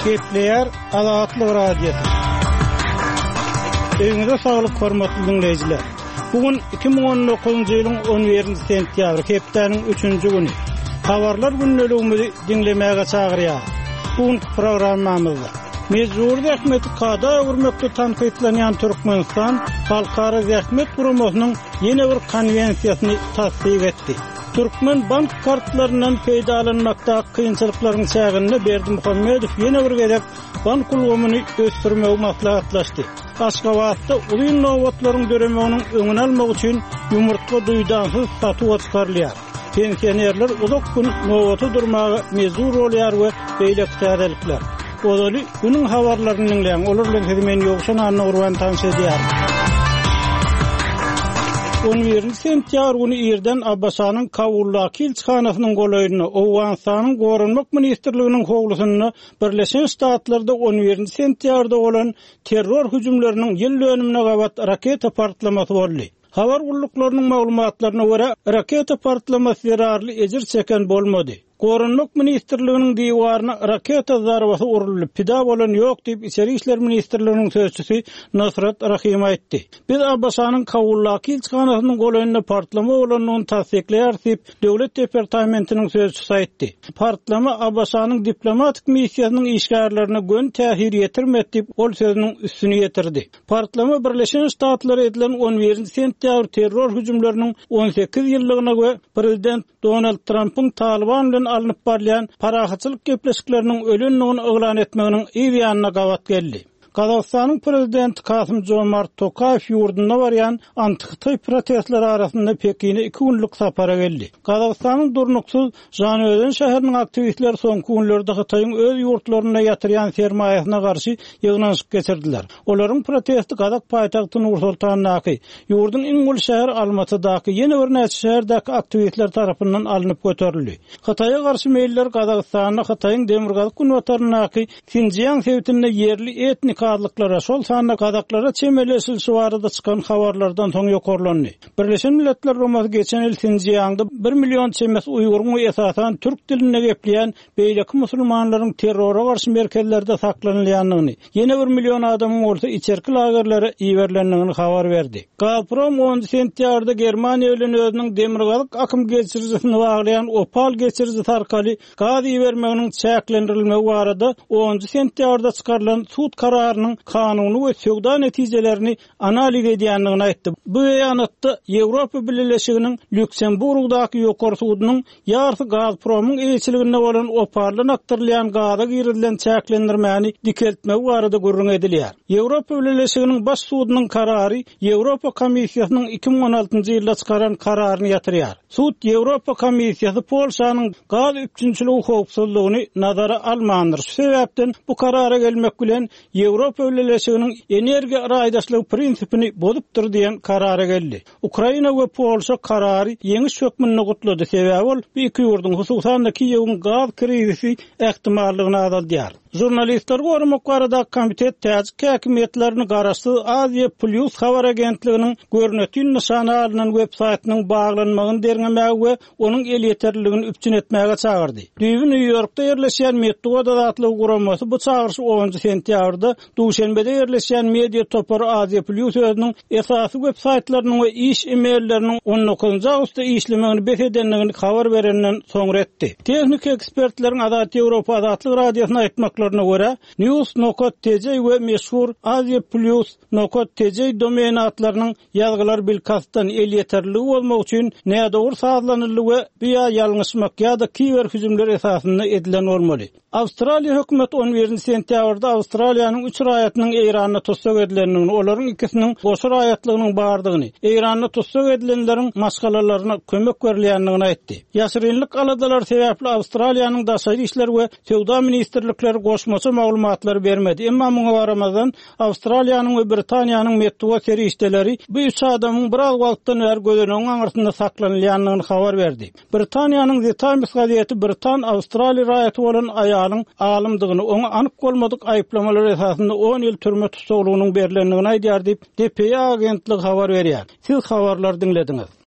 Gepleýär Azatlyk Radiosy. Öýüňize saglyk hormatly diňleýjiler. Bu gün 2019-njy ýylyň 11-nji sentýabry, hepdäniň üçünji güni. Habarlar gündeligimizi diňlemäge çagyrýarys. Bu günki programmamyzda Mejbury zähmeti kada öwürmekde tankytlanýan Türkmenistan Halkara zähmet guramasynyň ýene bir konwensiýasyny tassyk etdi. Türkmen bank kartlaryndan peýdalanmakdaky kynçylyklaryň çäginde Berdimuhamedow ýene bir gezek bank ulgamyny ösdürmegi maslahatlaşdy. Aşgabatda uzyn nobatlaryň döremeginiň öňüni almak üçin ýumurtga duýdansyz satuwa çykarylýar. Pensionerler uzak gün nobata durmaga mejbur bolýar we beýleki täzelikler. Ozaly günüň habarlaryny diňläň, olar bilen sizi men Ýowşan Annagurban tanyş edýärin. On birinji sentýabr güni irden ABŞ-nyň Kabuldaky ilçihanasynyň golaýynda, Owganystanyň Goranmak ministrliginiň howlusynda Birleşen Ştatlarda on birinji sentýabrda bolan terror hüjümleriniň ýyl dönümine gabat raketa partlamasy boldy. Habar gulluklarynyň maglumatlaryna görä, raketa partlamasy zerarly ejir çeken bolmady. Goranmak ministrliginiň diwaryna raketa zarbasy uruldy, pida bolan ýok diýip, Içeri işler ministrliginiň sözçüsi Nusrat Rahim aýtdy. Biz ABŞ-nyň Kabuldaky ilçihanasynyň golaýynda partlama bolandygyny tassyklaýarys diýip, Döwlet departamentiniň sözçüsi aýtdy. Partlama ABŞ-nyň diplomatik missiýasynyň işgärlerine göni täsir ýetirmedi diýip, ol sözüniň üstüni ýetirdi. Partlama Birleşen Ştatlara edilen on birinji sentýabr terror hüjümleriniň 18 ýyllygyna we prezident Donald Trampyň Talyban bilen alnyp barylýan parahatçylyk gepleşikleriniň ölendigini yglan etmeginiň yz ýanyna gabat geldi. Gazagystanyň prezidenti Kasym-Jomart Tokaýew ýurdunda barýan antihytaý protestleri arasynda Pekine iki günlük sapara geldi. Gazagystanyň durnuksyz Žanaözen şäheriniň aktiwistleri soňky günlerde Hytaýyň öz ýurtlarynda ýatyrýan sermaýasyna garşy ýygnanyşyk geçirdiler. Olaryň protesti gazak paýtagty Nur-Sultandaky, ýurduň iň uly şäheri Almatydaky, ýene birnäçe şäherdäki aktiwistler tarapyndan alnyp göterildi. Hytaýa garşy meýiller Gazagystanda Hytaýyň demirgazyk-günbataryndaky Sinjiang sebitinde ýerli etnik azlyklara, şol sanda gazaklara çemeleşilişi barada çykan habarlardan soň ýokarlandy. Birleşen Milletler Guramasy geçen ýyl Sinjiangda bir million çemesi uýguryň we esasan türk dilinde gepleýän beýleki musulmanlaryň terrora garşy merkezlerde saklanylýandygyny, ýene bir million adamyň bolsa içerki lagerlere iberilendigini habar berdi. Gazprom onunjy sentýabrda Germaniýa bilen özüniň Demirgazyk akym geçirijisini baglaýan Opal geçirijisi arkaly gaz ibermeginiň çäklendirilmegi barada onunjy sentýabrda çykarylan sud kararynyň kanuny we söwda netijelerini analiz edýändigini aýtdy. Bu beýanatda Ýewropa Bileleşiginiň Lýuksemburgdaky Ýokary sudunyň ýarysy Gazpromyň eýeçiliginde bolan Opaldan akdyrylýan gaza girizilen çäklendirmäni dikeltmegi barada gürrüň edilýär. Ýewropa Bileleşiginiň Baş sudunyň karary Ýewropa Komissiýasynyň 2016-njy ýylda çykaran kararyny ýatyrýar. Sud Ýewropa Komissiýasy Polşanyň gaz üpjünçiligi howpsuzlygyny nazara almandyr, şu sebäpden bu karara gelmek bilen Ýewropa Bileleşiginiň energiýa raýdaşlygy prinsipini bozupdyr diýen karara geldi. Ukraina we Polşa karary ýeňiş hökmünde gutlady, sebäbi ol bu iki ýurduň, hususan-da Kiýewiň gaz krizisi ähtimallygyny azaldýar. Žurnalistleri goramak baradaky komitet täjik häkimiýetlerini garaşsyz Aziýa Plýus habar agentliginiň görnetin nyşana alnan web-saýtynyň baglanmagyny derňemäge we onuň elýeterliligini üpjün etmäge çagyrdy. Düýbi Nýu-Ýorkda ýerleşýän Metbugat azatlygy guramasy bu çagyryşy onunjy sentýabrda Duşenbede ýerleşýän media topary Aziýa Plýus özüniň esasy web saýtlarynyň we iş e-mailleriniň on dokuzynjy awgustda işlemegini bes edendigini habar berenden soňra etdi. Tehniki ekspertleriň Azat Ýewropa Azatlyk Radiosyna aýtmaklaryna görä, News nokat TJ we meşhur Aziýa Plýus nokat TJ domen atlarynyň Ýazgylar bilkastdan elýeterliligi bozmak üçin nädogry sazlanyldy we bu ýa ýalňyşmak ýa-da kiber hüjümler esasynda edilen bolmaly. Awstraliýa hökümeti on birinji sentýabrda Awstraliýanyň üç raýatynyň Eýranda tussag edilendigini, olaryň ikisiniň goşa raýatlygynyň bardygyny, Eýranda tussag edilenleriň maşgalalaryna kömek berilýändigini aýtdy. Ýaşyrynlyk aladalary sebäpli Awstraliýanyň Daşary işler we Söwda ministrlikleri goşmaça maglumatlary bermedi, emma muňa garamazdan, Awstraliýanyň we Britaniýanyň metbugat serişdeleri bu üç adamyň biraz wagtdan bäri gözenegiň aňyrsynda saklanylýandygyny habar berdi. Britaniýanyň The Times gazeti britan awstraliý raýaty bolan aýalyň alymdygyny, oňa anyk bolmadyk aýyplamalar esasynda on ýyl türme tussaglygynyň berlendigini aýdýar diýip, DPA agentligi habar berýär. Siz habarlary diňlediňiz.